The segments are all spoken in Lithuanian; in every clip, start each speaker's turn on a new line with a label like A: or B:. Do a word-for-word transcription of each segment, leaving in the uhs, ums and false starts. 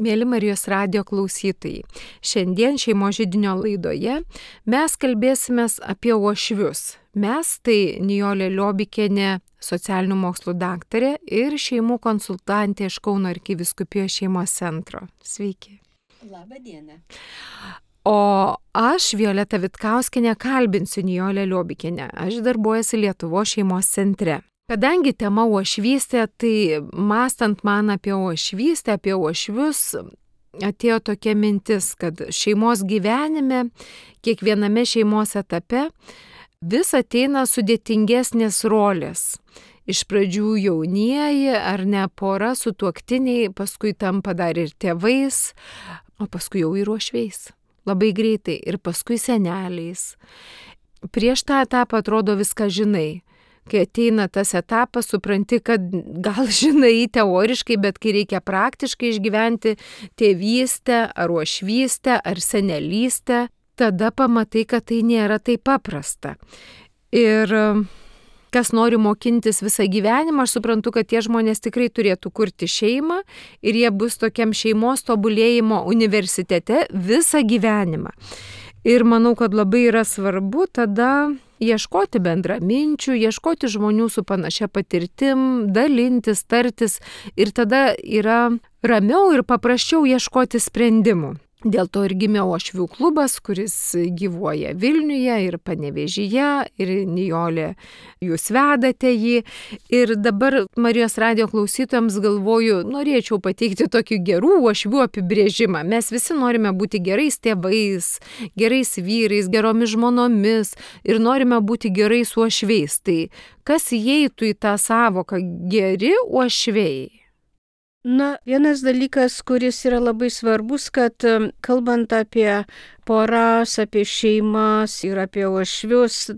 A: Mėly Marijos radijo klausytojai, šiandien šeimos židinio laidoje mes kalbėsimės apie uošvius. Mes tai Nijolė Liobikienė, socialinių mokslų daktarė ir šeimų konsultantė iš Kauno arkivyskupijos šeimos centro. Sveiki.
B: Labą dieną.
A: O aš, Violeta Vitkauskienė, kalbinsiu Nijolę Liobikienę. Aš darbuojuosi Lietuvos šeimos centre. Kadangi tema uošvystė, tai mąstant man apie uošvystę, apie uošvius, atėjo tokia mintis, kad šeimos gyvenime, kiekviename šeimos etape vis ateina sudėtingesnės rolės. Iš pradžių jaunieji ar ne pora sutuoktiniai, paskui tampa dar ir tėvais, o paskui jau ir uošviais. Labai greitai ir paskui seneliais. Prieš tą etapą atrodo viską žinai. Kai ateina tas etapas, supranti, kad gal žinai teoriškai, bet kai reikia praktiškai išgyventi tėvystę, ar uošvystę, ar senelystę, tada pamatai, kad tai nėra taip paprasta. Ir kas nori mokintis visą gyvenimą, aš suprantu, kad tie žmonės tikrai turėtų kurti šeimą ir jie bus tokiam šeimos tobulėjimo universitete visą gyvenimą. Ir manau, kad labai yra svarbu tada ieškoti bendraminčių, ieškoti žmonių su panašia patirtim, dalintis, tartis ir tada yra ramiau ir paprasčiau ieškoti sprendimų. Dėl to ir gimė uošvių klubas, kuris gyvuoja Vilniuje ir Panevėžyje, ir Nijolė, jūs vedate jį. Ir dabar Marijos radijo klausytojams galvoju, norėčiau pateikti tokį gerų uošvių apibrėžimą. Mes visi norime būti gerais tėvais, gerais vyrais, geromis žmonomis ir norime būti gerais uošviais. Tai kas įeitų į tą savoką geri uošviai?
B: Na, vienas dalykas, kuris yra labai svarbus, kad kalbant apie poras, apie šeimas ir apie uošvius,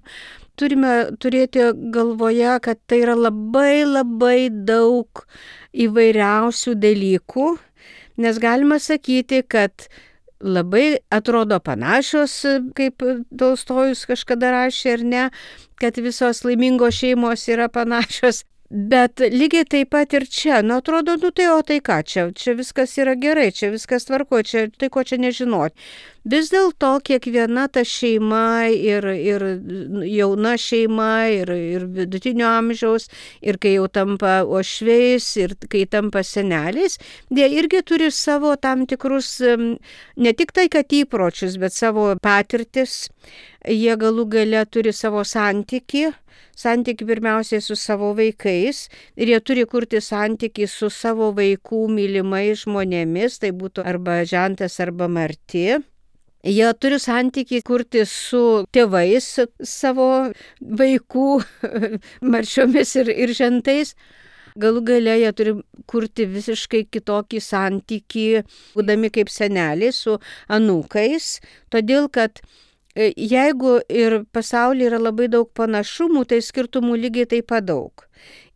B: turime turėti galvoje, kad tai yra labai labai daug įvairiausių dalykų, nes galima sakyti, kad labai atrodo panašios, kaip Tolstojus kažkada rašė, ar ne, kad visos laimingos šeimos yra panašios. Bet lygiai taip pat ir čia, nu atrodo, nu tai o tai ką, čia, čia viskas yra gerai, čia viskas tvarko, čia tai ko čia nežinot. Vis dėlto kiekviena ta šeima ir, ir jauna šeima ir, ir vidutinio amžiaus ir kai jau tampa uošviais ir kai tampa seneliais, jie irgi turi savo tam tikrus, ne tik tai kad įpročius, bet savo patirtis, jie galų gale turi savo santykį. Santykį pirmiausiai su savo vaikais ir jie turi kurti santykį su savo vaikų mylimais žmonėmis, tai būtų arba žentas, arba marti. Jie turi santykį kurti su tėvais savo vaikų marčiomis ir, ir žentais. Galų gale jie turi kurti visiškai kitokį santykį, būdami kaip seneliai su anūkais, todėl kad jeigu ir pasaulyje yra labai daug panašumų, tai skirtumų lygiai taip pat daug.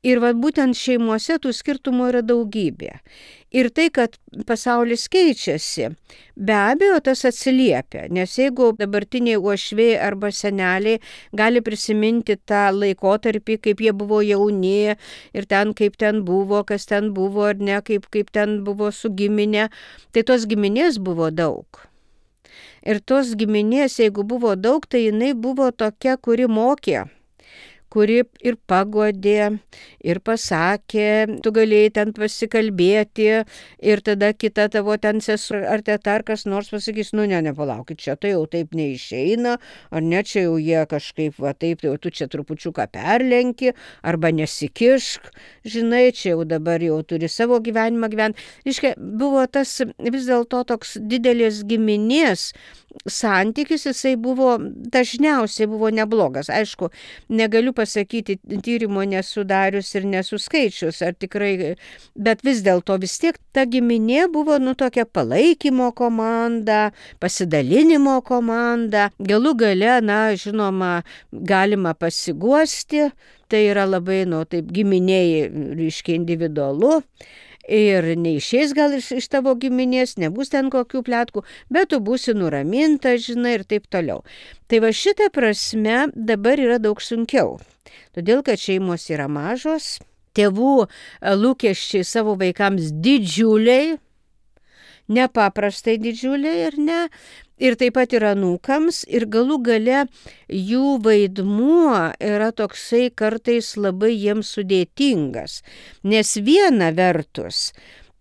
B: Ir va, būtent šeimose tų skirtumų yra daugybė. Ir tai, kad pasaulis keičiasi, be abejo tas atsiliepia, nes jeigu dabartiniai uošviai arba seneliai gali prisiminti tą laikotarpį, kaip jie buvo jauni ir ten kaip ten buvo, kas ten buvo ar ne, kaip, kaip ten buvo su giminė, tai tos giminės buvo daug. Ir tos giminės, jeigu buvo daug, tai jinai buvo tokia, kuri mokė, kuri ir pagodė, ir pasakė, tu galėjai ten pasikalbėti ir tada kita tavo ten sesuo ar teta ar kas nors pasakys, nu ne, nepalaukit, čia tai jau taip neišeina, ar ne, čia jau jie kažkaip, va taip, jau tu čia trupučiuką perlenki, arba nesikišk, žinai, čia jau dabar jau turi savo gyvenimą gyventi. Iškia, buvo tas vis dėlto toks didelės giminės santykis, jisai buvo dažniausiai buvo neblogas. Aišku, negaliu pasakyti, tyrimo nesudarius ir nesuskaičius, ar tikrai, bet vis dėlto vis tiek ta giminė buvo, nu, tokia palaikymo komanda, pasidalinimo komanda. Galų gale, na, žinoma, galima pasiguosti, tai yra labai, nu, taip giminėjai, reiškia, individualu. Ir neišės gal iš, iš tavo giminės, nebus ten kokių pletkų, bet tu būsi nuraminta, žinai, ir taip toliau. Tai va šitą prasme dabar yra daug sunkiau, todėl kad šeimos yra mažos, tėvų lūkesčiai savo vaikams didžiuliai nepaprastai didžiulė ir ne. Ir taip pat ir anūkams, ir galų gale jų vaidmuo yra toksai kartais labai jiems sudėtingas. Nes viena vertus,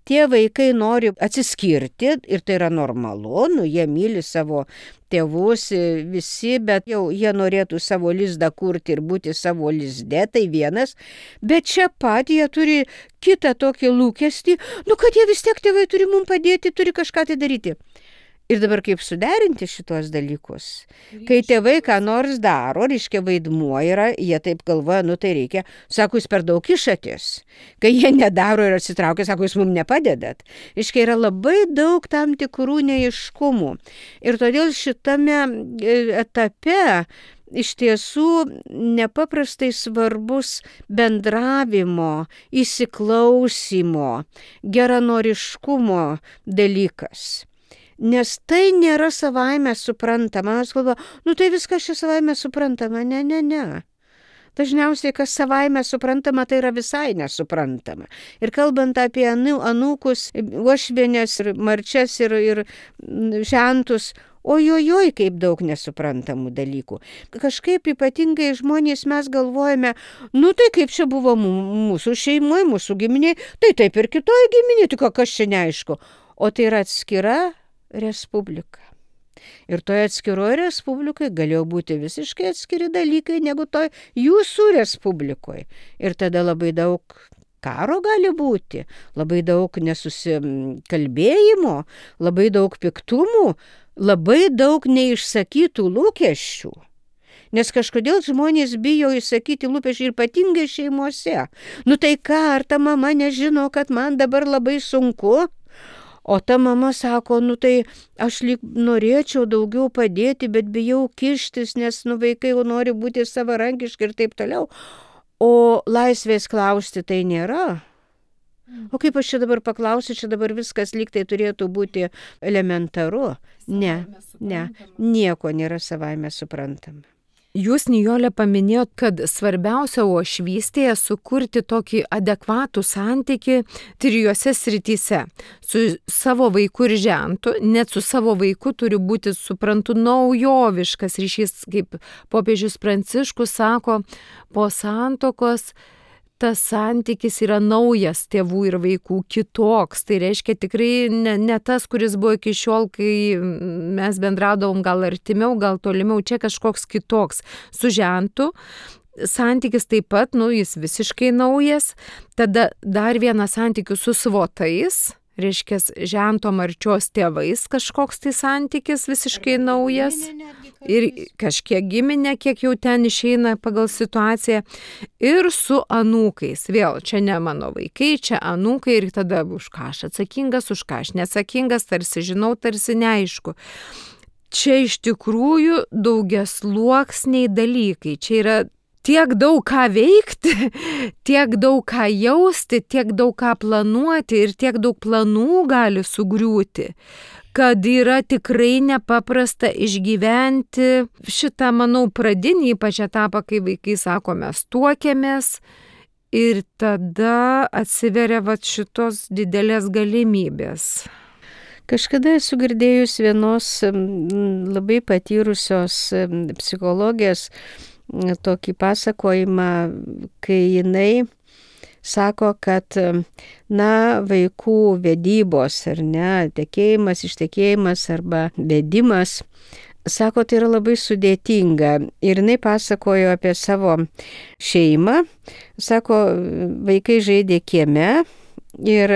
B: tie vaikai nori atsiskirti ir tai yra normalu, nu, jie myli savo tėvus visi, bet jau jie norėtų savo lizdą kurti ir būti savo lizde, tai vienas, bet čia pat jie turi kitą tokį lūkestį, nu, kad jie vis tiek tėvai turi mums padėti, turi kažką tai daryti. Ir dabar kaip suderinti šitos dalykus? Kai tėvai ką nors daro, reiškia vaidmuo yra, jie taip galvoja, nu tai reikia, sako, jūs per daug kišatės. Kai jie nedaro ir atsitraukia, sako, jūs mums nepadedat. Reiškia, yra labai daug tam tikrų neaiškumų. Ir todėl šitame etape iš tiesų nepaprastai svarbus bendravimo, įsiklausimo, geranoriškumo dalykas. Nes tai nėra savaime suprantama. Aš galvoju, nu tai viskas čia savaime suprantama. Ne, ne, ne. Dažniausiai, kas savaime suprantama, tai yra visai nesuprantama. Ir kalbant apie anūkus, uošvienės ir marčias ir, ir žentus, ojojoj, kaip daug nesuprantamų dalykų. Kažkaip ypatingai žmonės mes galvojame, nu tai kaip čia buvo mūsų šeimoje, mūsų giminiai, tai taip ir kitoje giminėje, tik kas čia neaišku. O tai yra atskira respublika. Ir toje atskiroje respublikai galėjo būti visiškai atskiri dalykai negu toj jūsų respublikoje. Ir tada labai daug karo gali būti, labai daug nesusikalbėjimo, labai daug piktumų, labai daug neišsakytų lūkesčių. Nes kažkodėl žmonės bijo išsakyti lūkesčių ir ypatingai šeimose. Nu tai ką, ar ta mama nežino, kad man dabar labai sunku? O ta mama sako, nu tai aš lyg norėčiau daugiau padėti, bet bijau kištis, nes nu vaikai jau nori būti savarankiški ir taip toliau. O laisvės klausti tai nėra. O kaip aš čia dabar paklausiu, čia dabar viskas lyg tai turėtų būti elementaru. Ne, ne, nieko nėra savaime suprantama.
A: Jūs, Nijolė, paminėjot, kad svarbiausia uošvystėje sukurti tokį adekvatų santykį trijose srityse. Su savo vaiku ir žentu, net su savo vaiku turi būti, suprantu, naujoviškas ryšys, kaip popiežius Pranciškus sako, po santuokos tas santykis yra naujas tėvų ir vaikų, kitoks. Tai reiškia tikrai ne, ne tas, kuris buvo iki šiol, kai mes bendraudavom gal artimiau, gal tolimiau, čia kažkoks kitoks. Su žentu santykis taip pat, nu, jis visiškai naujas. Tada dar vienas santykis su svotais, reiškia žento marčios tėvais kažkoks tai santykis visiškai naujas. Ir kažkiek giminė, kiek jau ten išeina pagal situaciją. Ir su anūkais. Vėl, čia ne mano vaikai, čia anūkai ir tada už ką aš atsakingas, už ką aš neatsakingas, tarsi žinau, tarsi neaišku. Čia iš tikrųjų daugiasluoksniai dalykai. Čia yra tiek daug ką veikti, tiek daug ką jausti, tiek daug ką planuoti ir tiek daug planų gali sugriūti, kad yra tikrai nepaprasta išgyventi šitą, manau, pradinį ypač etapą, kai vaikai sako, mes tuokiamės ir tada atsiveria vat šitos didelės galimybės.
B: Kažkada esu girdėjus vienos labai patyrusios psichologės tokį pasakojimą, kai jinai sako, kad, na, vaikų vedybos ar ne, tekėjimas, ištekėjimas arba vedimas, sako, tai yra labai sudėtinga. Ir jinai pasakojo apie savo šeimą, sako, vaikai žaidė kieme ir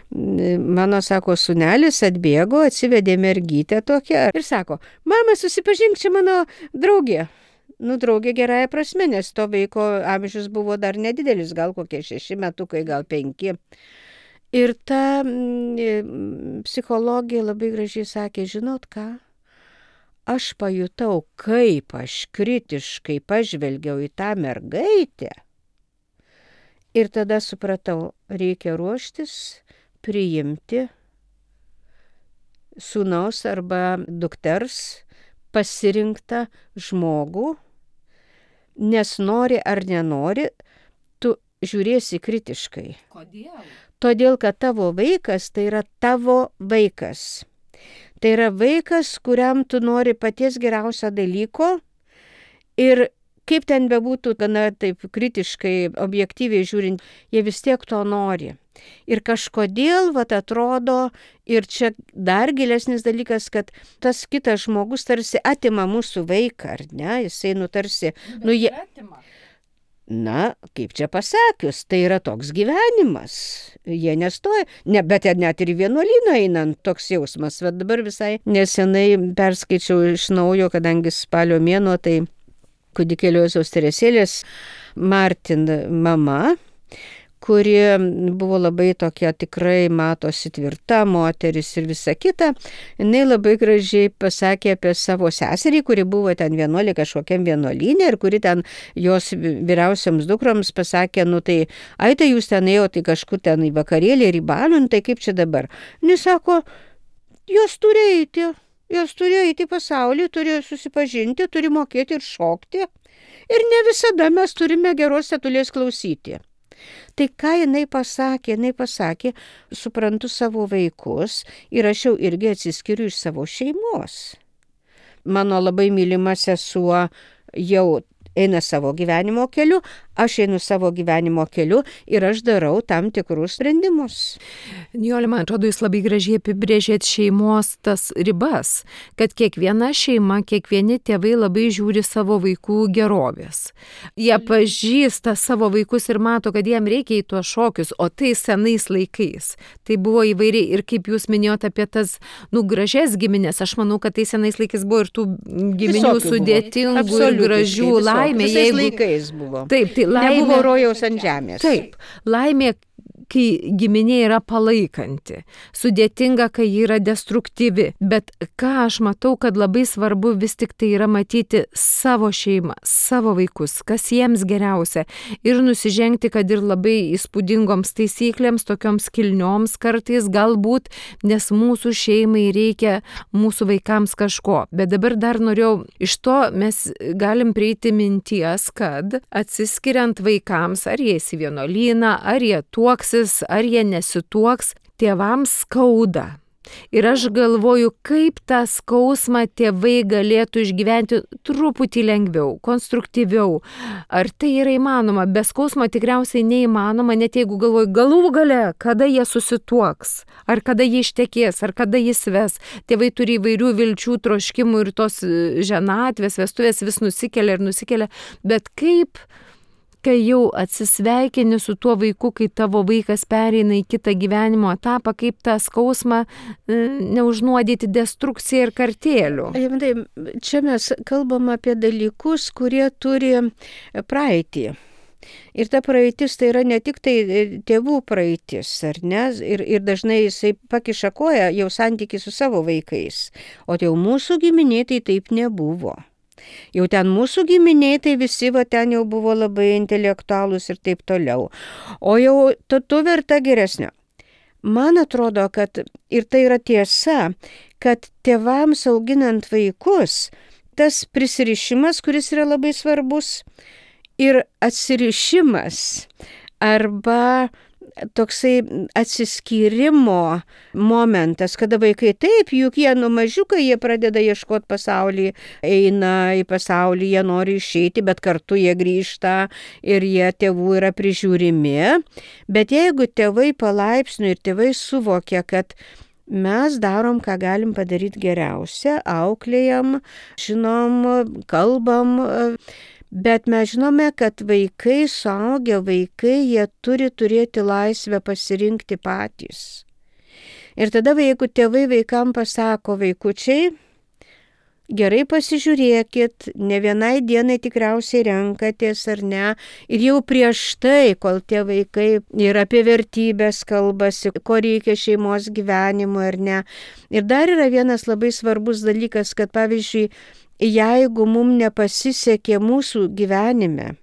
B: mano, sako, sūnelis atbėgo, atsivedė mergytę tokią ir sako, mama, susipažink, čia mano draugė. Nu, draugė gerąją prasme, nes to vaiko amžius buvo dar nedidelis, gal kokie šeši metukai, gal penki. Ir ta mm, psichologija labai gražiai sakė, žinot ką, aš pajutau, kaip aš kritiškai pažvelgiau į tą mergaitę. Ir tada supratau, reikia ruoštis, priimti sūnaus arba dukters pasirinktą žmogų, nes nori ar nenori, tu žiūrėsi kritiškai.
A: Kodėl?
B: Todėl, kad tavo vaikas tai yra tavo vaikas. Tai yra vaikas, kuriam tu nori paties geriausio dalyko ir kaip ten bebūtų, gana taip kritiškai, objektyviai žiūrint, jie vis tiek to nori. Ir kažkodėl, vat atrodo, ir čia dar gilesnis dalykas, kad tas kitas žmogus tarsi atima mūsų vaiką, ar ne? Jisai nutarsi, nu jie... Na, kaip čia pasakius, tai yra toks gyvenimas. Jie nestoja, ne, bet net ir į vienuolyną einant toks jausmas. Bet dabar visai nesenai perskaičiau iš naujo, kadangi spalio mėnuo, tai kūdikėlio Jėzaus Teresėlės Martin mama, kuri buvo labai tokia tikrai matosi tvirta moteris ir visa kita, jinai labai gražiai pasakė apie savo seserį, kuri buvo ten vienuolė kažkokiam vienuolyne ir kuri ten jos vyriausiams dukroms pasakė, nu tai, ai tai jūs ten ėjo, tai kažkur ten į vakarėlį ir į balių, tai kaip čia dabar? Jis sako, jos turi eiti, jos turi eiti į pasaulį, turi susipažinti, turi mokėti ir šokti ir ne visada mes turime geros setulės klausyti. Tai ką jinai pasakė, jinai pasakė, suprantu savo vaikus ir aš jau irgi atsiskiriu iš savo šeimos. Mano labai mylima sesuo jau eina savo gyvenimo keliu, aš einu savo gyvenimo keliu ir aš darau tam tikrus sprendimus.
A: Nijolė, man atrodo, jūs labai gražiai apibrėžėt šeimos tas ribas, kad kiekviena šeima, kiekvieni tėvai labai žiūri savo vaikų gerovės. Jie pažįsta savo vaikus ir mato, kad jiem reikia į tuos šokius, o tai senais laikais. Tai buvo įvairiai ir kaip jūs minėjote apie tas, nu, gražias giminės, aš manau, kad tai senais laikais buvo ir tų giminių
B: Visokių
A: sudėtingų
B: buvo.
A: ir gražių laimė.
B: Visais
A: Jeigu...
B: laikais buvo.
A: Taip, tai laimė...
B: Nebuvo rojaus ant žemės.
A: Taip, laimė, kai giminė yra palaikanti, sudėtinga, kai ji yra destruktyvi, bet ką aš matau, kad labai svarbu vis tik tai yra matyti savo šeimą, savo vaikus, kas jiems geriausia ir nusižengti, kad ir labai įspūdingoms taisyklėms, tokioms kilnioms kartais galbūt, nes mūsų šeimai reikia mūsų vaikams kažko. Bet dabar dar norėjau, iš to mes galim prieiti minties, kad atsiskiriant vaikams, ar jie į vienuolyną, ar jie tuoksis, ar jie nesituoks, tėvams skauda. Ir aš galvoju, kaip tą skausmą tėvai galėtų išgyventi truputį lengviau, konstruktyviau. Ar tai yra įmanoma? Be skausmo tikriausiai neįmanoma, net jeigu galvoju, galų gale, kada jie susituoks, ar kada jie ištekės, ar kada jis ves. Tėvai turi įvairių vilčių, troškimų ir tos ženatvės, vestuvės vis nusikelia ir nusikelia. Bet kaip... kai jau atsisveikini su tuo vaiku, kai tavo vaikas pereina į kitą gyvenimo etapą, kaip tą skausmą neužnuodyti destrukciją ir kartėlių.
B: Čia mes kalbam apie dalykus, kurie turi praeitį. Ir ta praeitis tai yra ne tik tai tėvų praeitis, ar ne? Ir, ir dažnai jisai pakiša koją jau santykį su savo vaikais. O jau mūsų giminė tai taip nebuvo. Jau ten mūsų giminiai, tai visi va ten jau buvo labai intelektualūs ir taip toliau. O jau tu, tu verta geresnio. Man atrodo, kad ir tai yra tiesa, kad tėvams auginant vaikus, tas prisirišimas, kuris yra labai svarbus, ir atsirišimas arba toksai atsiskyrimo momentas, kada vaikai taip, juk jie nuo mažiukai, jie pradeda ieškoti pasaulį, eina į pasaulį, jie nori išeiti, bet kartu jie grįžta ir jie tėvų yra prižiūrimi. Bet jeigu tėvai palaipsniui ir tėvai suvokia, kad mes darom, ką galim padaryti geriausia, auklėjam, žinom, kalbam, bet mes žinome, kad vaikai, suaugę vaikai, jie turi turėti laisvę pasirinkti patys. Ir tada, jeigu tėvai vaikam pasako, vaikučiai, gerai pasižiūrėkit, ne vienai dienai tikriausiai renkatės ar ne, ir jau prieš tai, kol tie vaikai ir apie vertybės kalbasi, ko reikia šeimos gyvenimo ar ne. Ir dar yra vienas labai svarbus dalykas, kad pavyzdžiui, jeigu mums nepasisekė mūsų gyvenime,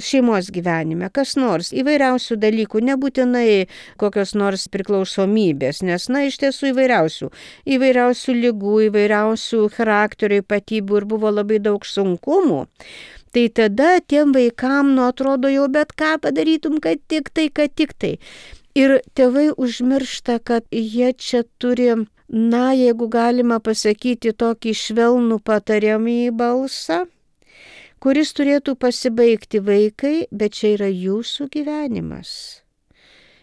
B: šeimos gyvenime, kas nors, įvairiausių dalykų, nebūtinai kokios nors priklausomybės, nes, na, iš tiesų įvairiausių, įvairiausių ligų, įvairiausių charakterio ypatybių ir buvo labai daug sunkumų, Tai tada tiem vaikam, nu, atrodo jau bet ką padarytum, kad tik tai, kad tik tai. Ir tėvai užmiršta, kad jie čia turi, na, jeigu galima pasakyti, tokį švelnų patariamąjį balsą, kuris turėtų pasibaigti vaikai, bet čia yra jūsų gyvenimas.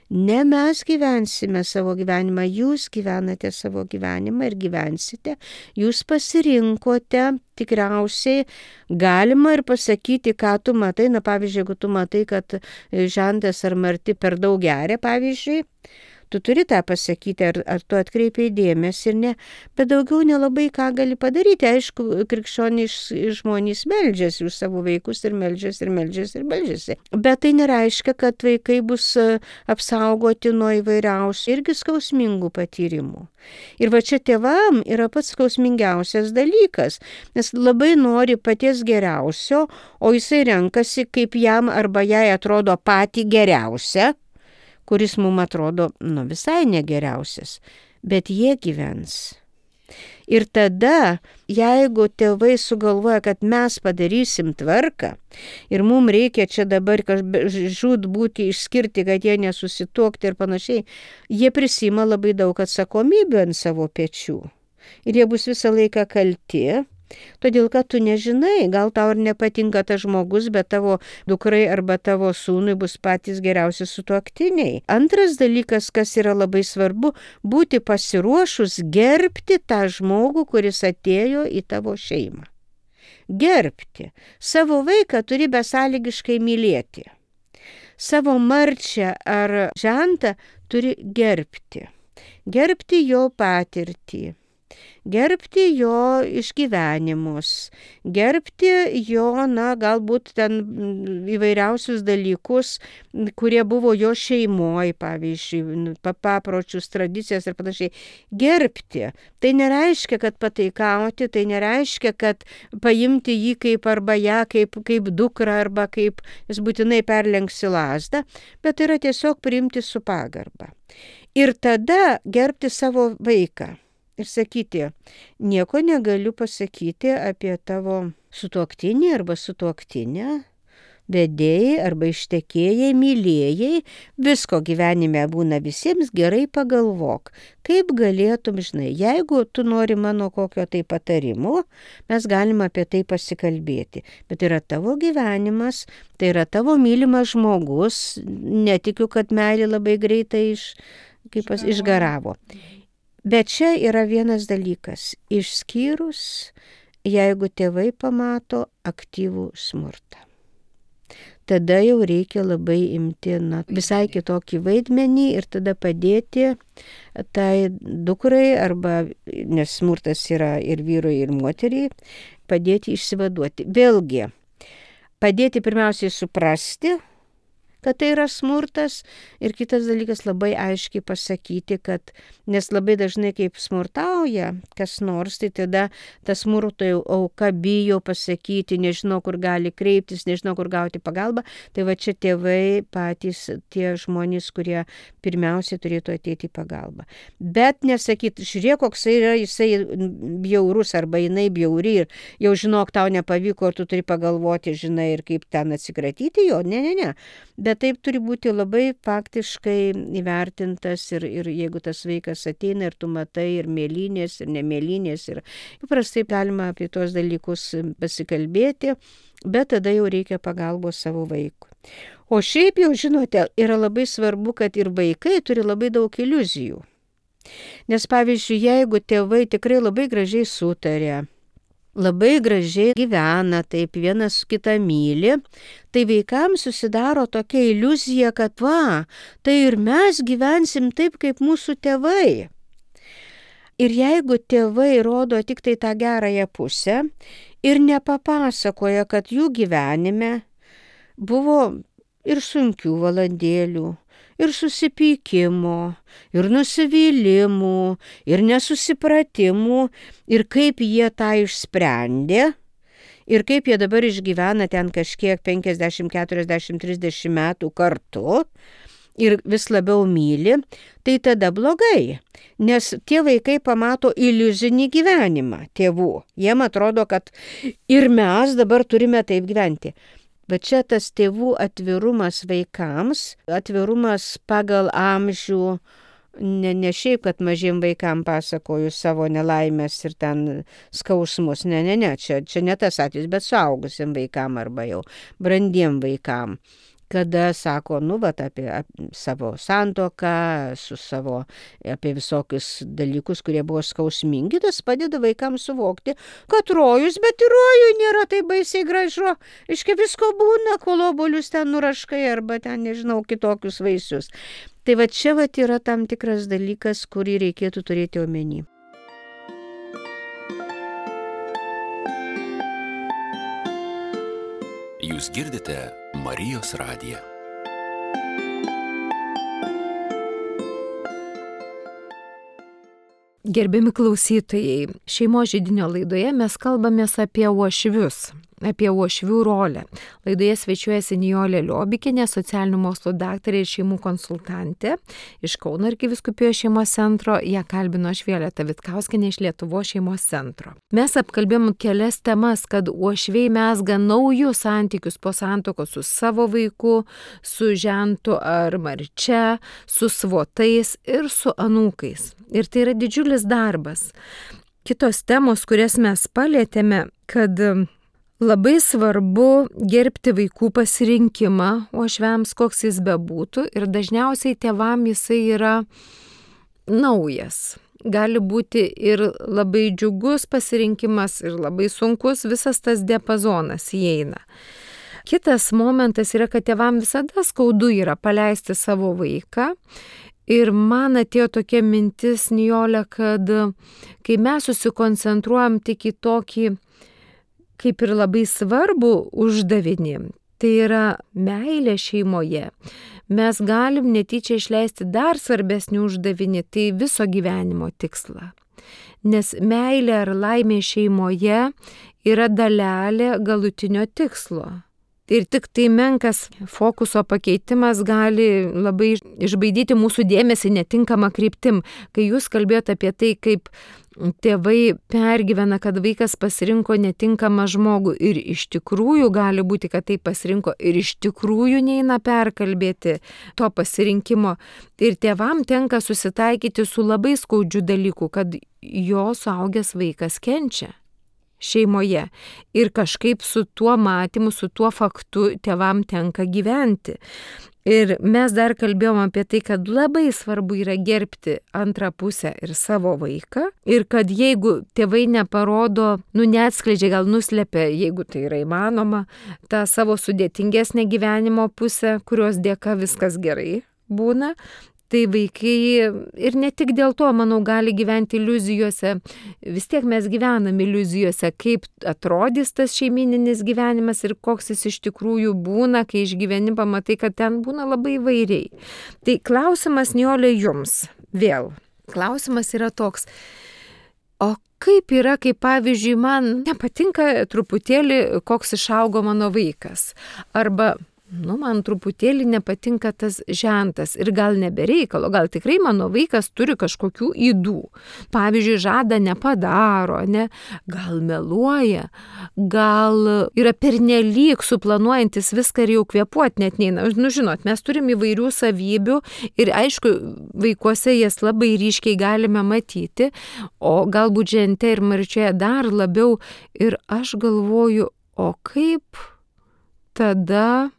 B: Ne mes gyvensime savo gyvenimą, jūs gyvenate savo gyvenimą ir gyvensite, jūs pasirinkote, tikriausiai galima ir pasakyti, ką tu matai, na pavyzdžiui, jeigu tu matai, kad Žentas ar Marti per daug geria, pavyzdžiui, tu turi tą pasakyti, ar, ar tu atkreipiai dėmesį ir ne, bet daugiau nelabai ką gali padaryti. Aišku, krikščionys žmonės meldžiasi už savo vaikus ir meldžiasi ir meldžiasi ir meldžiasi. Bet tai nereiškia, kad vaikai bus apsaugoti nuo įvairiausių irgi skausmingų patyrimų. Ir va čia tėvam yra pats skausmingiausias dalykas, nes labai nori paties geriausio, o jisai renkasi, kaip jam arba jai atrodo patį geriausią, kuris mums atrodo, nu, visai negeriausias, bet jie gyvens. Ir tada, jeigu tėvai sugalvoja, kad mes padarysim tvarką ir mums reikia čia dabar žūt būti išskirti, kad jie nesusituokti ir panašiai, jie prisima labai daug atsakomybių ant savo pečių. Ir jie bus visą laiką kalti. Todėl, kad tu nežinai, gal tau ir nepatinka tas žmogus, bet tavo dukrai arba tavo sūnui bus patys geriausi sutuoktiniai. Antras dalykas, kas yra labai svarbu, būti pasiruošus gerbti tą žmogų, kuris atėjo į tavo šeimą. Gerbti. Savo vaiką turi besąlygiškai mylėti. Savo Marčią ar Žentą turi gerbti. Gerbti jo patirtį. Gerbti jo išgyvenimus, gerbti jo, na, galbūt ten įvairiausius dalykus, kurie buvo jo šeimoje, pavyzdžiui, papročius, tradicijas ir panašiai. Gerbti. Tai nereiškia, kad pataikauti, tai nereiškia, kad paimti jį kaip arba ją kaip, kaip dukrą arba kaip jis būtinai perlenksi lazdą, bet tai yra tiesiog priimti su pagarba. Ir tada gerbti savo vaiką. Ir sakyti, nieko negaliu pasakyti apie tavo sutuoktinį arba sutuoktinę, vedėjai arba ištekėjai, mylėjai, visko gyvenime būna visiems, gerai pagalvok, kaip galėtum, žinai, jeigu tu nori mano kokio tai patarimo, mes galime apie tai pasikalbėti, bet yra tavo gyvenimas, tai yra tavo mylimas žmogus, netikiu, kad meilė labai greitai iš, kaip pas, išgaravo. Bet čia yra vienas dalykas, išskyrus, jeigu tėvai pamato aktyvų smurtą. Tada jau reikia labai imti na, visai kitokį vaidmenį ir tada padėti tai dukrai, arba, nes smurtas yra ir vyrui, ir moteriai, padėti išsivaduoti. Vėlgi, padėti pirmiausiai suprasti, kad tai yra smurtas ir kitas dalykas labai aiškiai pasakyti, kad nes labai dažnai kaip smurtauja kas nors, tai tada tas smurto auka bijo pasakyti, nežino, kur gali kreiptis, nežino, kur gauti pagalbą, tai va čia tėvai patys tie žmonės, kurie pirmiausiai turėtų ateiti į pagalbą. Bet nesakyti, žiūrėk, koks yra jisai bjaurus arba jinai bjauri ir jau žinok, tau nepavyko ir tu turi pagalvoti, žinai, ir kaip ten atsikratyti jo, ne, ne, ne. Bet taip turi būti labai faktiškai įvertintas ir, ir jeigu tas vaikas ateina ir tu matai ir mėlynės, ir nemėlynės, ir paprastai galima apie tuos dalykus pasikalbėti, bet tada jau reikia pagalbos savo vaikui. O šiaip jau, žinote, yra labai svarbu, kad ir vaikai turi labai daug iliuzijų. Nes pavyzdžiui, jeigu tėvai tikrai labai gražiai sutarė, labai gražiai gyvena, taip vienas kitą myli, tai vaikams susidaro tokia iliuzija, kad va, tai ir mes gyvensim taip, kaip mūsų tėvai. Ir jeigu tėvai rodo tik tai tą gerąją pusę ir nepapasakoja, kad jų gyvenime buvo ir sunkių valandėlių, ir susipykimo, ir nusivylimų, ir nesusipratimų, ir kaip jie tą išsprendė, ir kaip jie dabar išgyvena ten kažkiek penkiasdešimt, keturiasdešimt, trisdešimt metų kartu, ir vis labiau myli, tai tada blogai. Nes tie vaikai pamato iliuzinį gyvenimą tėvų. Jiem atrodo, kad ir mes dabar turime taip gyventi. Bet čia tas tėvų atvirumas vaikams, atvirumas pagal amžių, ne, ne šiaip, kad mažiem vaikam pasakoju savo nelaimės ir ten skausmus, ne, ne, ne, čia, čia ne tas atvejis, bet suaugusiem vaikam arba jau brandiem vaikam. Kada sako, nu, vat, apie, apie savo santuoką, su savo, apie visokius dalykus, kurie buvo skausmingi, tas padeda vaikams suvokti, kad rojus, bet ir rojui nėra taip baisiai gražu. Iškia visko būna, kol obuolius ten nuraškai arba ten, nežinau, kitokius vaisius. Tai va čia va yra tam tikras dalykas, kurį reikėtų turėti omeny.
C: Jūs girdite Marijos radiją.
A: Gerbiami klausytojai, šeimos židinio laidoje mes kalbamės apie uošvius, apie uošvių rolę. Laidoje svečiuojasi Nijolė Liobikienė, socialinių mokslų daktarė ir šeimų konsultantė iš Kauno arkivyskupijos šeimos centro. Ją kalbino aš, Violeta Vitkauskienė, iš Lietuvos šeimos centro. Mes apkalbėjom kelias temas, kad uošviai mezga naujus santykius po santuokos su savo vaiku, su žentu ar marčia, su svotais ir su anūkais. Ir tai yra didžiulis darbas. Kitos temos, kurias mes palėtėme, kad labai svarbu gerbti vaikų pasirinkimą uošviams, koks jis bebūtų, ir dažniausiai tėvam jisai yra naujas. Gali būti ir labai džiugus pasirinkimas, ir labai sunkus, visas tas diapazonas įeina. Kitas momentas yra, kad tėvam visada skaudu yra paleisti savo vaiką. Ir man atėjo tokia mintis, Nijolė, kad kai mes susikoncentruojam tik į tokį, kaip ir labai svarbu uždavinį, tai yra meilė šeimoje, mes galim netyčia išleisti dar svarbesnį uždavinį, tai viso gyvenimo tikslą. Nes meilė ar laimė šeimoje yra dalelė galutinio tikslo. Ir tik tai menkas fokuso pakeitimas gali labai išbaidyti mūsų dėmesį netinkamą kryptim. Kai jūs kalbėjote apie tai, kaip tėvai pergyvena, kad vaikas pasirinko netinkamą žmogų ir iš tikrųjų gali būti, kad tai pasirinko ir iš tikrųjų neina perkalbėti to pasirinkimo. Ir tėvam tenka susitaikyti su labai skaudžiu dalyku, kad jo suaugęs vaikas kenčia šeimoje. Ir kažkaip su tuo matymu, su tuo faktu tėvam tenka gyventi. Ir mes dar kalbėjom apie tai, kad labai svarbu yra gerbti antrą pusę ir savo vaiką. Ir kad jeigu tėvai neparodo, nu neatskleidžia, gal nuslepia, jeigu tai yra įmanoma, tą savo sudėtingesnę gyvenimo pusę, kurios dėka viskas gerai būna, tai vaikai ir ne tik dėl to, manau, gali gyventi iliuzijose. Vis tiek mes gyvenam iliuzijose, kaip atrodys tas šeimininis gyvenimas ir koks jis iš tikrųjų būna, kai išgyveni, pamatai, kad ten būna labai įvairiai. Tai klausimas, Nijolė, jums vėl. Klausimas yra toks. O kaip yra, kai pavyzdžiui, man nepatinka truputėlį, koks išaugo mano vaikas? Arba nu, man truputėlį nepatinka tas žentas ir gal nebereikalo, gal tikrai mano vaikas turi kažkokių ydų. Pavyzdžiui, žada nepadaro, ne? Gal meluoja, gal yra pernelyg suplanuojantis viską ir jau kvėpuoti net neina. Nu, žinot, mes turim įvairių savybių ir aišku, vaikuose jas labai ryškiai galime matyti, o galbūt žente ir marčioje dar labiau. Ir aš galvoju, o kaip tada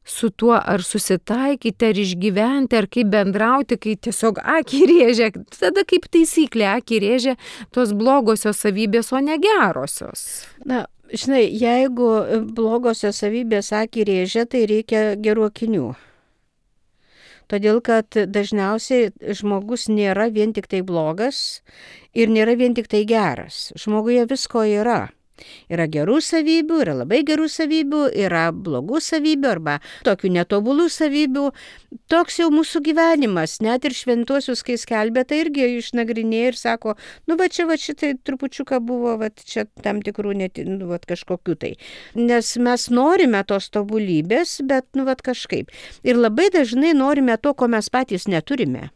A: su tuo ar susitaikyti, ar išgyventi, ar kaip bendrauti, kai tiesiog akį rėžia. Tada kaip taisyklė akį rėžia tos blogosios savybės, o ne gerosios.
B: Na, žinai, jeigu blogosios savybės akį rėžia, tai reikia gerų akinių. Todėl, kad dažniausiai žmogus nėra vien tik tai blogas ir nėra vien tik tai geras. Žmoguje visko yra. Yra gerų savybių, yra labai gerų savybių, yra blogų savybių arba tokių netobulų savybių. Toks jau mūsų gyvenimas, net ir šventuosius, kai skelbė, tai irgi išnagrinėja ir sako, nu va čia va šitai trupučiuką buvo, va čia tam tikrų net, nu va kažkokių tai. Nes mes norime tos tobulybės, bet nu va kažkaip. Ir labai dažnai norime to, ko mes patys neturime.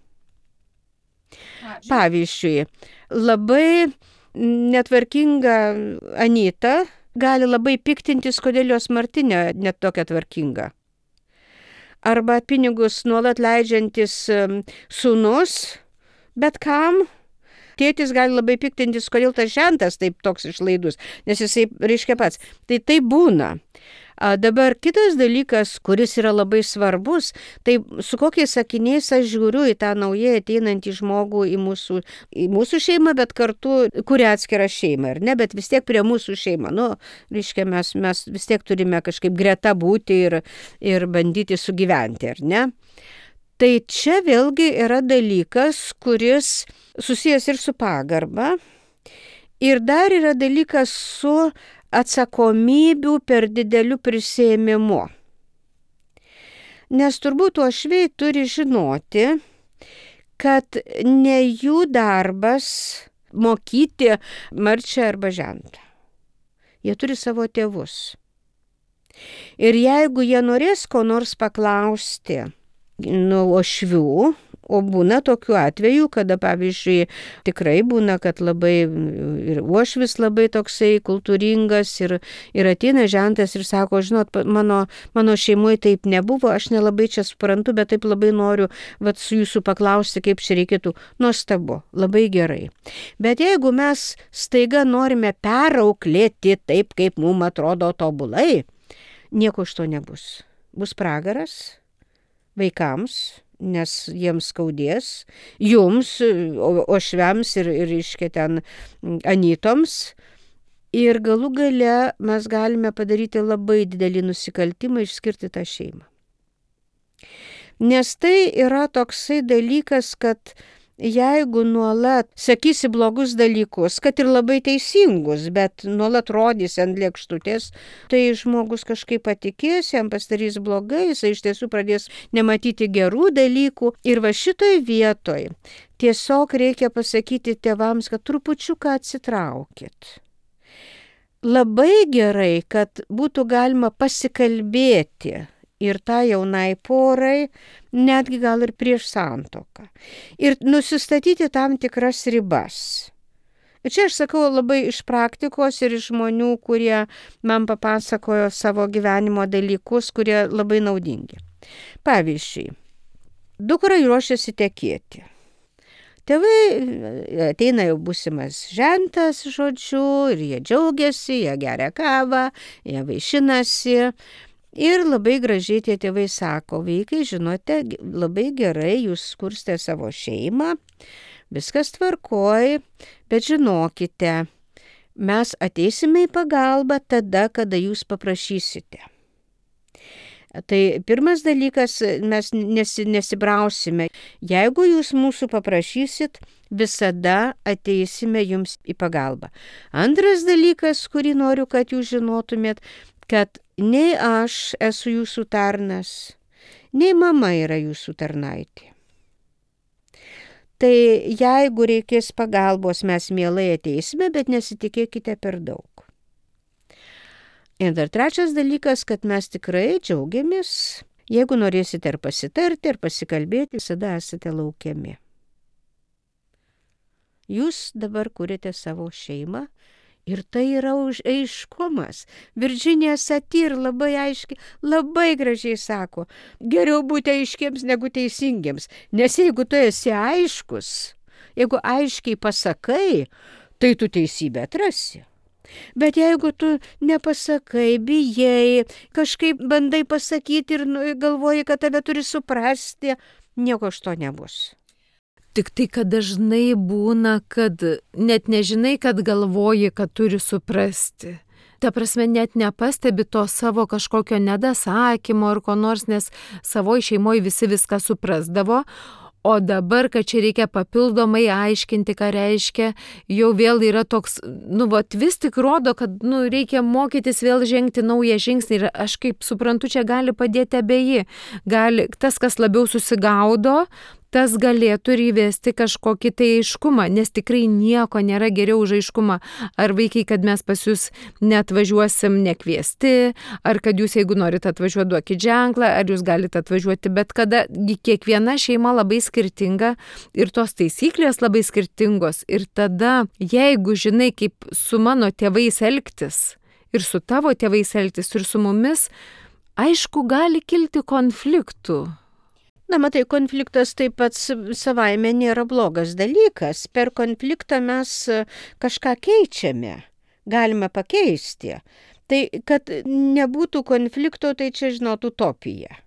B: Pavyzdžiui, labai netvarkinga Anyta gali labai piktintis, kodėl jos Martinė net tokia tvarkinga. Arba pinigus nuolat leidžiantis sūnus, bet kam? Tėtis gali labai piktintis, kodėl tas žentas taip toks išlaidus, nes jisai reiškia pats. Tai tai būna. A, dabar kitas dalykas, kuris yra labai svarbus, tai su kokiais sakiniais aš žiūriu į tą naujai ateinantį žmogų į mūsų, į mūsų šeimą, bet kartu kuria atskirą šeimą, ar ne, bet vis tiek prie mūsų šeimą. Nu, reiškia, mes, mes vis tiek turime kažkaip greta būti ir, ir bandyti sugyventi, ar ne? Tai čia vėlgi yra dalykas, kuris susijęs ir su pagarba, ir dar yra dalykas su atsakomybių per dideliu prisėmimu. Nes turbūt uošviai turi žinoti, kad ne jų darbas mokyti Marčią arba Žentą. Jie turi savo tėvus. Ir jeigu jie norės ko nors paklausti nuo uošvių, o būna tokių atvejų, kada, pavyzdžiui, tikrai būna, kad labai ir uošvis labai toksai kultūringas ir, ir ateina Žentas ir sako, žinot, mano, mano šeimoje taip nebuvo, aš nelabai čia suprantu, bet taip labai noriu vat, su jūsų paklausti, kaip čia reikėtų. Nuostabu, labai gerai. Bet jeigu mes staiga norime perauklėti taip, kaip mums atrodo tobulai, nieko iš to nebus. Bus pragaras vaikams, nes jiems skaudės, jums, uošviams ir, ir iškia ten Anytoms. Ir galų gale mes galime padaryti labai didelį nusikaltimą, išskirti tą šeimą. Nes tai yra toksai dalykas, kad jeigu nuolat sakysi blogus dalykus, kad ir labai teisingus, bet nuolat rodysi ant lėkštutės, tai žmogus kažkaip patikės, jam pasidarys blogai, jisai iš tiesų pradės nematyti gerų dalykų. Ir va šitoj vietoj tiesiog reikia pasakyti tėvams, kad trupučiuką atsitraukit. Labai gerai, kad būtų galima pasikalbėti ir tą jaunai porai, netgi gal ir prieš santuoką. Ir nusistatyti tam tikras ribas. Ir čia aš sakau labai iš praktikos ir iš žmonių, kurie man papasakojo savo gyvenimo dalykus, kurie labai naudingi. Pavyzdžiui, dukra ruošiasi tekėti. Tėvai ateina jau būsimas Žentas, žodžiu, ir jie džiaugiasi, jie geria kavą, jie vaišinasi. Ir labai gražiai tie tėvai sako, vaikai, žinote, labai gerai, jūs kurstė savo šeimą, viskas tvarkoj, bet žinokite, mes ateisime į pagalbą tada, kada jūs paprašysite. Tai pirmas dalykas, mes nesi, nesibrausime. Jeigu jūs mūsų paprašysit, visada ateisime jums į pagalbą. Antras dalykas, kurį noriu, kad jūs žinotumėt, kad nei aš esu jūsų tarnas, nei mama yra jūsų tarnaitė. Tai jeigu reikės pagalbos, mes mielai ateisime, bet nesitikėkite per daug. Ir dar trečias dalykas, kad mes tikrai džiaugiamės, jeigu norėsite ar pasitarti, ar pasikalbėti, visada esate laukiami. Jūs dabar kuriate savo šeimą. Ir tai yra už aiškumas. Virginija Satir labai aiškiai, labai gražiai sako, geriau būti aiškiems negu teisingiems. Nes jeigu tu esi aiškus, jeigu aiškiai pasakai, tai tu teisybę atrasi. Bet jeigu tu nepasakai, bijai, kažkaip bandai pasakyti ir galvoji, kad tave turi suprasti, nieko iš to nebus.
A: Tik tai, kad dažnai būna, kad net nežinai, kad galvoji, kad turi suprasti. Ta prasme, net nepastebi to savo kažkokio nedasakymo ar ko nors, nes savoje šeimoje visi viską suprasdavo, O dabar, kad čia reikia papildomai aiškinti, ką reiškia, jau vėl yra toks, nu, vat, vis tik rodo, kad, nu, reikia mokytis vėl žengti naują žingsnį. Ir aš kaip suprantu, čia gali padėti abeji. Gali, tas, kas labiau susigaudo, tas galėtų ir įvesti kažkokį tai aiškumą, nes tikrai nieko nėra geriau už aiškumą. Ar vaikai, kad mes pas jūs neatvažiuosim nekviesti, ar kad jūs, jeigu norite atvažiuoti, duokit ženklą, ar jūs galite atvažiuoti bet kada. Kiekviena šeima labai skirtinga ir tos taisyklės labai skirtingos. Ir tada, jeigu žinai, kaip su mano tėvais elgtis, ir su tavo tėvais elgtis, ir su mumis, aišku, gali kilti konfliktų.
B: Na, matai, konfliktas taip pat savaime nėra blogas dalykas. Per konfliktą mes kažką keičiame, galime pakeisti. Tai, kad nebūtų konflikto, tai čia, žinot, utopija.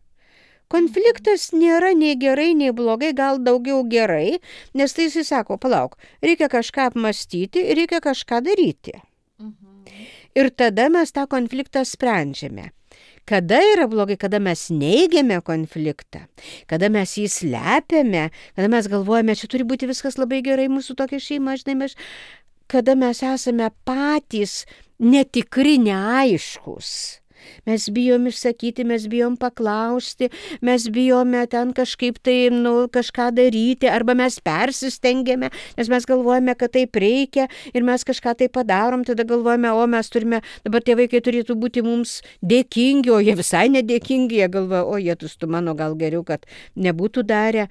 B: Konfliktas nėra nei gerai, nei blogai, gal daugiau gerai, nes tai jis sako, palauk, reikia kažką apmastyti, reikia kažką daryti. Mhm. Ir tada mes tą konfliktą sprendžiame. Kada yra blogai, kada mes neigiame konfliktą, kada mes jį slepiame, kada mes galvojame, čia turi būti viskas labai gerai, mūsų tokia šeima, žinai, mes, kada mes esame patys netikri, neaiškus. Mes bijom išsakyti, mes bijom paklausti, mes bijome ten kažkaip tai, nu, kažką daryti, arba mes persistengiame, nes mes galvojame, kad taip reikia ir mes kažką tai padarom, tada galvojame, o mes turime, dabar tie vaikai turėtų būti mums dėkingi, o jie visai nedėkingi, jie galvoja, o jie tu mano gal geriau, kad nebūtų darę.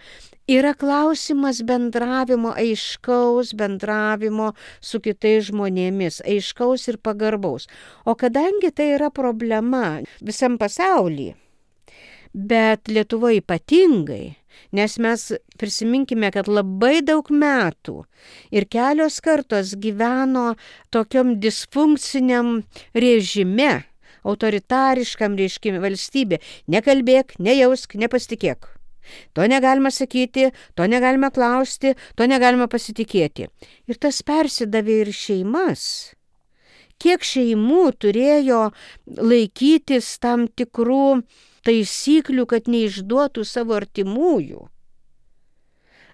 B: Yra klausimas bendravimo, aiškaus bendravimo su kitais žmonėmis, aiškaus ir pagarbaus. O kadangi tai yra problema visam pasaulyje, bet Lietuvoje ypatingai, nes mes prisiminkime, kad labai daug metų ir kelios kartos gyveno tokiom disfunkciniam režime, autoritariškam reiškime valstybė. Nekalbėk, nejausk, nepasitikėk. To negalima sakyti, to negalima klausti, to negalima pasitikėti. Ir tas persidavė ir šeimas. Kiek šeimų turėjo laikytis tam tikrų taisyklių, kad neišduotų savo artimųjų.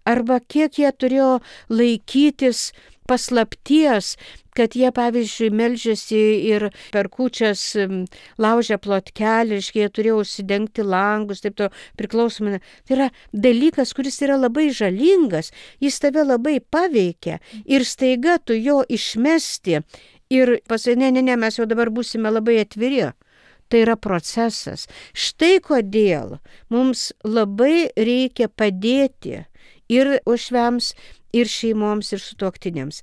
B: Arba kiek jie turėjo laikytis paslapties, kad jie, pavyzdžiui, meldžiasi ir per kūčias laužia plotkelį, jie turėjo užsidengti langus, taip to priklausomai. Tai yra dalykas, kuris yra labai žalingas, jis tave labai paveikia ir staiga tu jo išmesti ir pasakai, ne, ne, ne, mes jau dabar būsime labai atviri. Tai yra procesas. Štai kodėl mums labai reikia padėti ir uošviams, ir šeimoms, ir sutuoktiniams.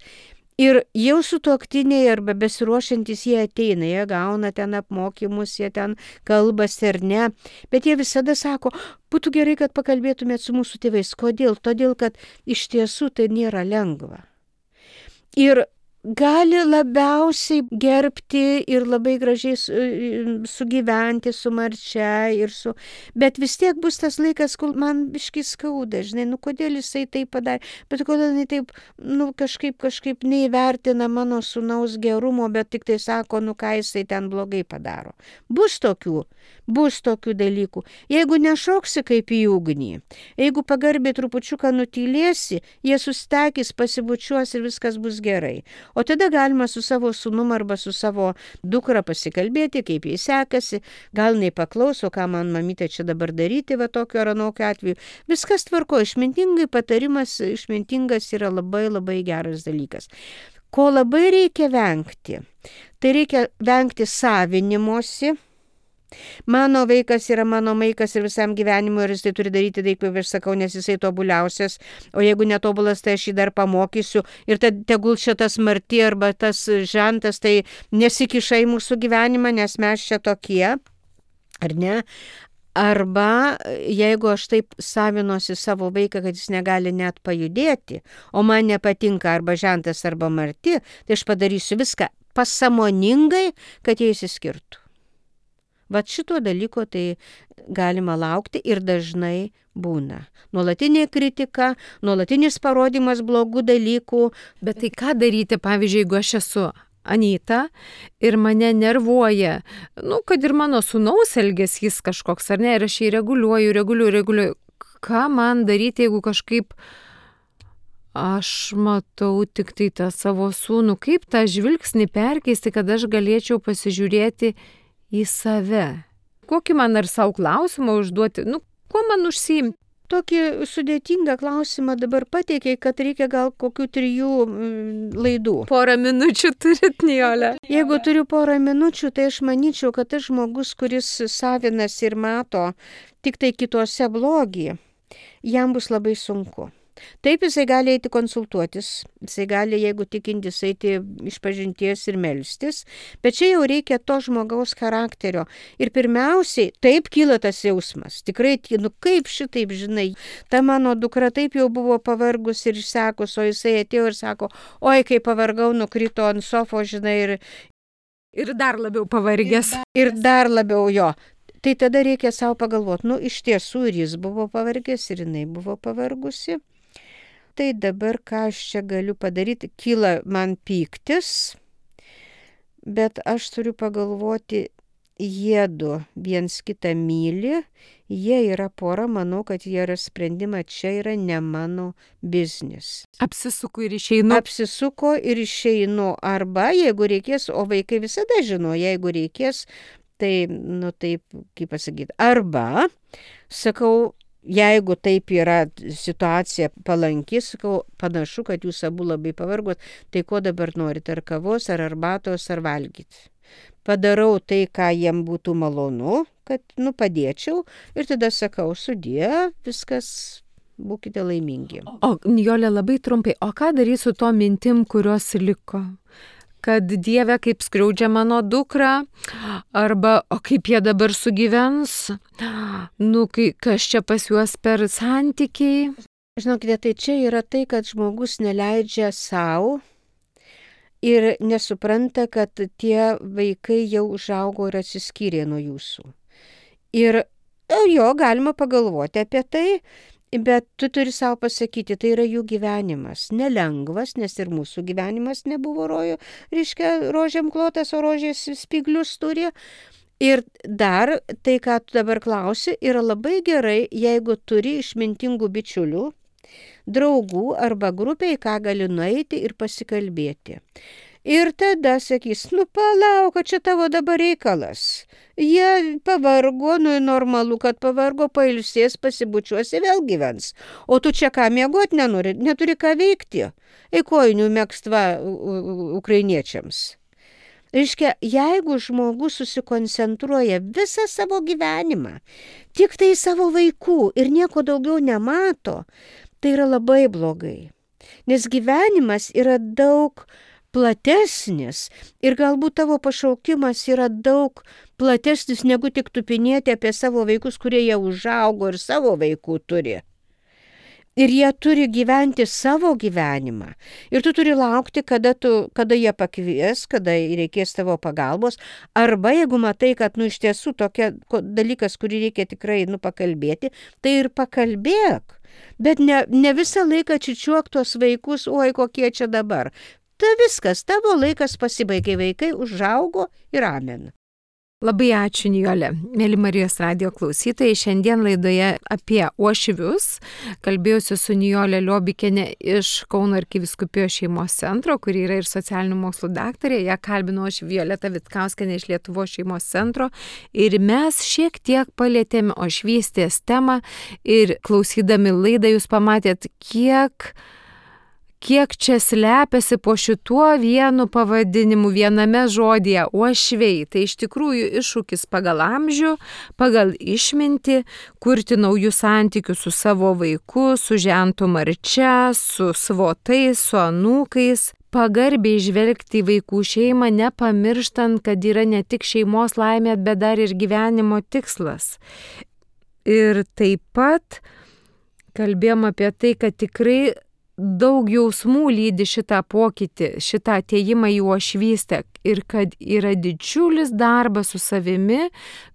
B: Ir jau sutuoktiniai arba besiruošiantys jie ateina, jie gauna ten apmokymus, jie ten kalbasi ar ne, bet jie visada sako, būtų gerai, kad pakalbėtumėt su mūsų tėvais. Kodėl? Todėl, kad iš tiesų tai nėra lengva. Ir gali labiausiai gerbti ir labai gražiai sugyventi su Marčia ir su... Bet vis tiek bus tas laikas, kol man biškai skauda, žinai, nu kodėl jisai taip padarė, bet kodėl jisai taip, nu kažkaip, kažkaip neįvertina mano sūnaus gerumo, bet tik tai sako, nu ką jisai ten blogai padaro. Bus tokių, bus tokių dalykų. Jeigu nešoksi kaip į ugnį, jeigu pagarbiai trupučiuką nutylėsi, jie sustekis, pasibučiuos ir viskas bus gerai. O tada galima su savo sūnum arba su savo dukra pasikalbėti, kaip jai sekasi, gal nei paklauso, ką man mamytė čia dabar daryti, va tokio ar anokio atveju. Viskas tvarko, išmintingai patarimas, išmintingas yra labai labai geras dalykas. Ko labai reikia vengti? Tai reikia vengti savinimosi. Mano vaikas yra mano vaikas ir visam gyvenimui ir jis tai turi daryti taip, kaip aš sakau, nes jisai tobuliausias, o jeigu netobulas, tai aš jį dar pamokysiu ir tad tegul šitas Marti arba tas žentas tai nesikiša į mūsų gyvenimą, nes mes čia tokie, ar ne? Arba jeigu aš taip savinuosi savo vaiką, kad jis negali net pajudėti, o man nepatinka arba žentas arba Marti, tai aš padarysiu viską pasąmoningai, kad jie išsiskirtų. Vat šito dalyko tai galima laukti ir dažnai būna. Nuolatinė kritika, nuolatinis parodimas blogų dalykų.
A: Bet tai ką daryti, pavyzdžiui, jeigu aš esu Anyta ir mane nervuoja, nu, kad ir mano sūnaus elgesys kažkoks, ar ne, ir aš jį reguliuoju, reguliuoju, reguliuoju. ką man daryti, jeigu kažkaip aš matau tik tai tą savo sūnų, kaip tą žvilgsnį perkeisti, kad aš galėčiau pasižiūrėti į save. Kokį man ar savo klausimą užduoti, nu, kuo man užsiimti?
B: Tokį sudėtingą klausimą dabar pateikiai, kad reikia gal kokių trijų mm, laidų.
A: Porą minučių turit, Nijole.
B: Jeigu turiu porą minučių, tai aš manyčiau, kad tas žmogus, kuris savinas ir mato tik tai kitose blogį, jam bus labai sunku. Taip, jisai gali eiti konsultuotis, jisai gali, jeigu tikintis, eiti iš pažinties ir melstis, bet čia jau reikia to žmogaus charakterio. Ir pirmiausiai, taip kyla tas jausmas. Tikrai, nu kaip šitaip, žinai, ta mano dukra taip jau buvo pavargus ir išsekus, o jisai atėjo ir sako, oi, kai pavargau, nukrito ant sofo, žinai, ir,
A: ir dar labiau pavargęs.
B: Ir dar labiau jo. Tai tada reikia savo pagalvoti, nu iš tiesų ir jis buvo pavargęs, ir jinai buvo pavargusi. Tai dabar ką aš čia galiu padaryti, kyla man pyktis, bet aš turiu pagalvoti, jiedu viens kitą myli, jie yra pora, manau, kad jie yra sprendimą, čia yra ne mano biznis.
A: Apsisuku ir išeinu.
B: Apsisuko ir išeinu, arba jeigu reikės, o vaikai visada žino, jeigu reikės, tai, nu taip, kaip pasakyti, arba, sakau, jeigu taip yra situacija palanki, sakau, panašu, kad jūs abu labai pavargot, tai ko dabar norite, ar kavos, ar arbatos, ar valgyti. Padarau tai, ką jiem būtų malonu, kad, nu, padėčiau, ir tada sakau, sudie, viskas, būkite laimingi.
A: O, Nijole, labai trumpai, o ką darysiu su to mintim, kurios liko? Kad Dieve kaip skriaudžia mano dukrą, arba o kaip jie dabar sugyvens, nu, kai, kas čia pas juos per santykiai.
B: Žinokite, tai čia yra tai, kad žmogus neleidžia savo ir nesupranta, kad tie vaikai jau užaugo ir atsiskyrė nuo jūsų. Ir jo, galima pagalvoti apie tai, bet tu turi savo pasakyti, tai yra jų gyvenimas. Nelengvas, nes ir mūsų gyvenimas nebuvo rojo, reiškia, rožėm klotas, o rožės spyglius turi. Ir dar tai, ką tu dabar klausi, yra labai gerai, jeigu turi išmintingų bičiulių, draugų arba grupiai, ką gali nueiti ir pasikalbėti. Ir tada sakys, nu palauk, čia tavo dabar reikalas. Jie pavargo, nu normalu, kad pavargo, pailsės, pasibučiuosi, vėl gyvens. O tu čia ką miegot nenori, neturi ką veikti. Eikojinių mėgstva ukrainiečiams. Reiškia, jeigu žmogus susikoncentruoja visą savo gyvenimą, tik tai savo vaikų ir nieko daugiau nemato, tai yra labai blogai. Nes gyvenimas yra daug platesnis ir galbūt tavo pašaukimas yra daug platesnis negu tik tupinėti apie savo vaikus, kurie jau užaugo ir savo vaikų turi. Ir jie turi gyventi savo gyvenimą. Ir tu turi laukti, kada, tu, kada jie pakvies, kada reikės tavo pagalbos. Arba jeigu matai, kad nu, iš tiesų tokia dalykas, kurį reikia tikrai nu, pakalbėti, tai ir pakalbėk. Bet ne, ne visą laiką čičiuok tuos vaikus, oi kokie čia dabar. Tai viskas, tavo laikas pasibaigė, vaikai užaugo ir amen.
A: Labai ačiū, Nijole. Mėly Marijos radijo klausytojai, šiandien laidoje apie uošvius kalbėjausi su Nijole Liobikiene iš Kauno arkivyskupijos šeimos centro, kuri yra ir socialinių mokslų daktarė. Ją kalbino aš Violeta Vitkauskienė iš Lietuvos šeimos centro. Ir mes šiek tiek palėtėme uošvystės temą ir klausydami laidą jūs pamatėt, kiek... kiek čia slepiasi po šituo vienu pavadinimu, viename žodyje uošviai. Tai iš tikrųjų iššūkis pagal amžių, pagal išmintį, kurti naujus santykius su savo vaiku, su žentu Marčia, su svotais, su anūkais. Pagarbiai žvelgti į vaikų šeimą, nepamirštant, kad yra ne tik šeimos laimė, bet dar ir gyvenimo tikslas. Ir taip pat kalbėjom apie tai, kad tikrai daug jausmų lydi šitą pokytį, šitą atėjimą į uošvystę ir kad yra didžiulis darbas su savimi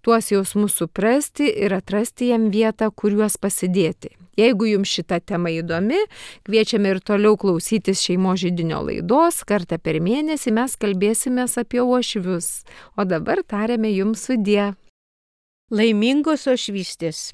A: tuos jausmus suprasti ir atrasti jam vietą, kur juos pasidėti. Jeigu jums šita tema įdomi, kviečiame ir toliau klausytis Šeimos židinio laidos, kartą per mėnesį mes kalbėsimės apie uošvius. O dabar tariame jums sudie.
B: Laimingos uošvystės.